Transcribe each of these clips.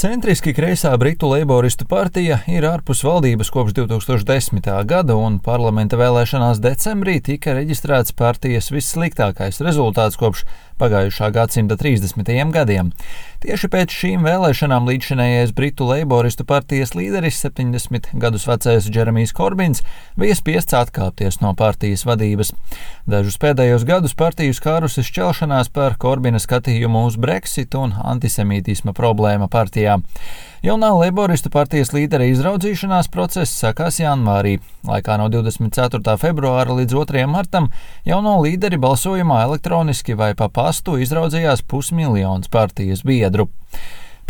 Centriski kreisā Britu Leiboristu partija ir ārpus valdības kopš 2010. gada, un parlamenta vēlēšanās decembrī tika reģistrēts partijas vissliktākais rezultāts kopš pagājušā gadsimta 30. gadiem. Tieši pēc šīm vēlēšanām līdzšinējais Britu Leiboristu partijas līderis 70 gadus vecais Džeremijs Korbins bija spiests atkāpties no partijas vadības. Dažus pēdējos gadus partiju skārusi šķelšanās par Korbina skatījumu uz Brexit un antisemītisma problēma partijā. Jaunā Leiboristu partijas līdera izraudzīšanās process sākās janvārī. Laikā no 24. februāra līdz 2. martam jauno līderi balsojumā elektroniski vai pa pastu izraudzījās 500 000 partijas biedru.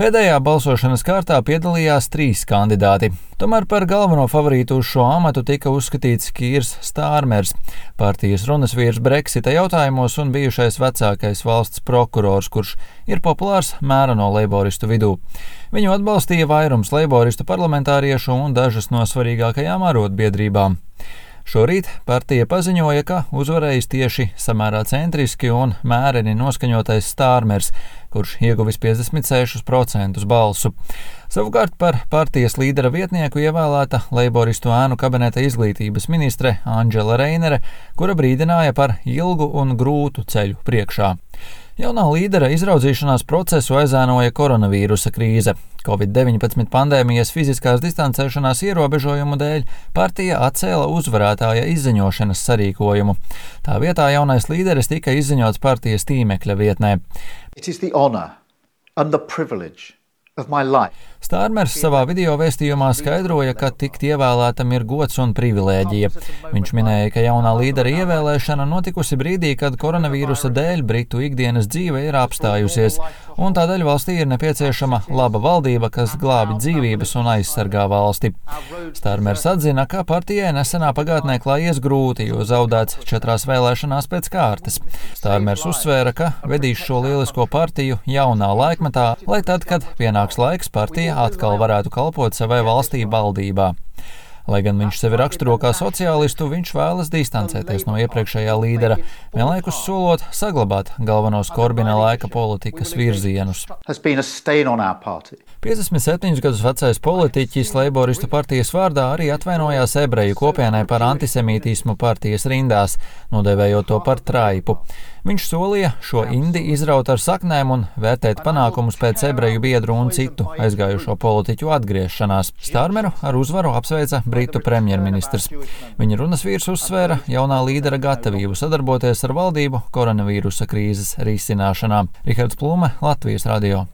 Pēdējā balsošanas kārtā piedalījās 3 kandidāti. Tomēr par galveno favorītu uz šo amatu tika uzskatīts Kīrs Stārmers, partijas runas vīrs Brexita jautājumos un bijušais vecākais valsts prokurors, kurš ir populārs mēreno leiboristu vidū. Viņu atbalstīja vairums leiboristu parlamentāriešu un dažas no svarīgākajām arotbiedrībām. Šorīt partija paziņoja, ka uzvarējis tieši samērā centriski un mēreni noskaņotais Stārmers, kurš ieguvis 56% balsu. Savukārt par partijas līdera vietnieku ievēlēta leiboristu ēnu kabineta izglītības ministre Andžela Reinere, kura brīdināja par ilgu un grūtu ceļu priekšā. Jaunā līdera izraudzīšanās procesu aizēnoja koronavīrusa krīze. Covid-19 pandēmijas fiziskās distancēšanās ierobežojumu dēļ partija atcēla uzvarētāja izziņošanas sarīkojumu. Tā vietā jaunais līderis tika izziņots partijas tīmekļa vietnē. Stārmers savā video vēstījumā skaidroja, ka tikt ievēlētam ir gods un privilēģija. Viņš minēja, ka jaunā līdera ievēlēšana notikusi brīdī, kad koronavīrusa dēļ Britu ikdienas dzīve ir apstājusies, un tādēļ valstī ir nepieciešama laba valdība, kas glābi dzīvības un aizsargā valsti. Stārmers atzina, ka partijai nesenā pagātnē klājies grūti, jo zaudēts 4 vēlēšanās pēc kārtas. Stārmers uzsvēra, ka vedīs šo lielisko partiju jaunā laikmetā, lai tad, kad pienāks laiks, partija atkal varētu kalpot savai valstī valdībā. Lai gan viņš sevi raksturo kā sociālistu, viņš vēlas distancēties no iepriekšējā līdera, vienlaikus solot saglabāt galvenos Korbina laika politikas virzienus. 57 gadus vecais politiķis Leiboristu partijas vārdā arī atvainojās ebreju kopienai par antisemītismu partijas rindās, nodēvējot to par traipu. Viņš solīja šo indi izraut ar saknēm un vērtēt panākumus pēc ebreju biedru un citu aizgājušo politiķu atgriešanās. Stārmeru ar uzvaru apsveica Britu premjerministrs. Viņa runas vīrs uzsvēra jaunā līdera gatavību sadarboties ar valdību koronavīrusa krīzes risināšanā. Rihards Plume, Latvijas radio.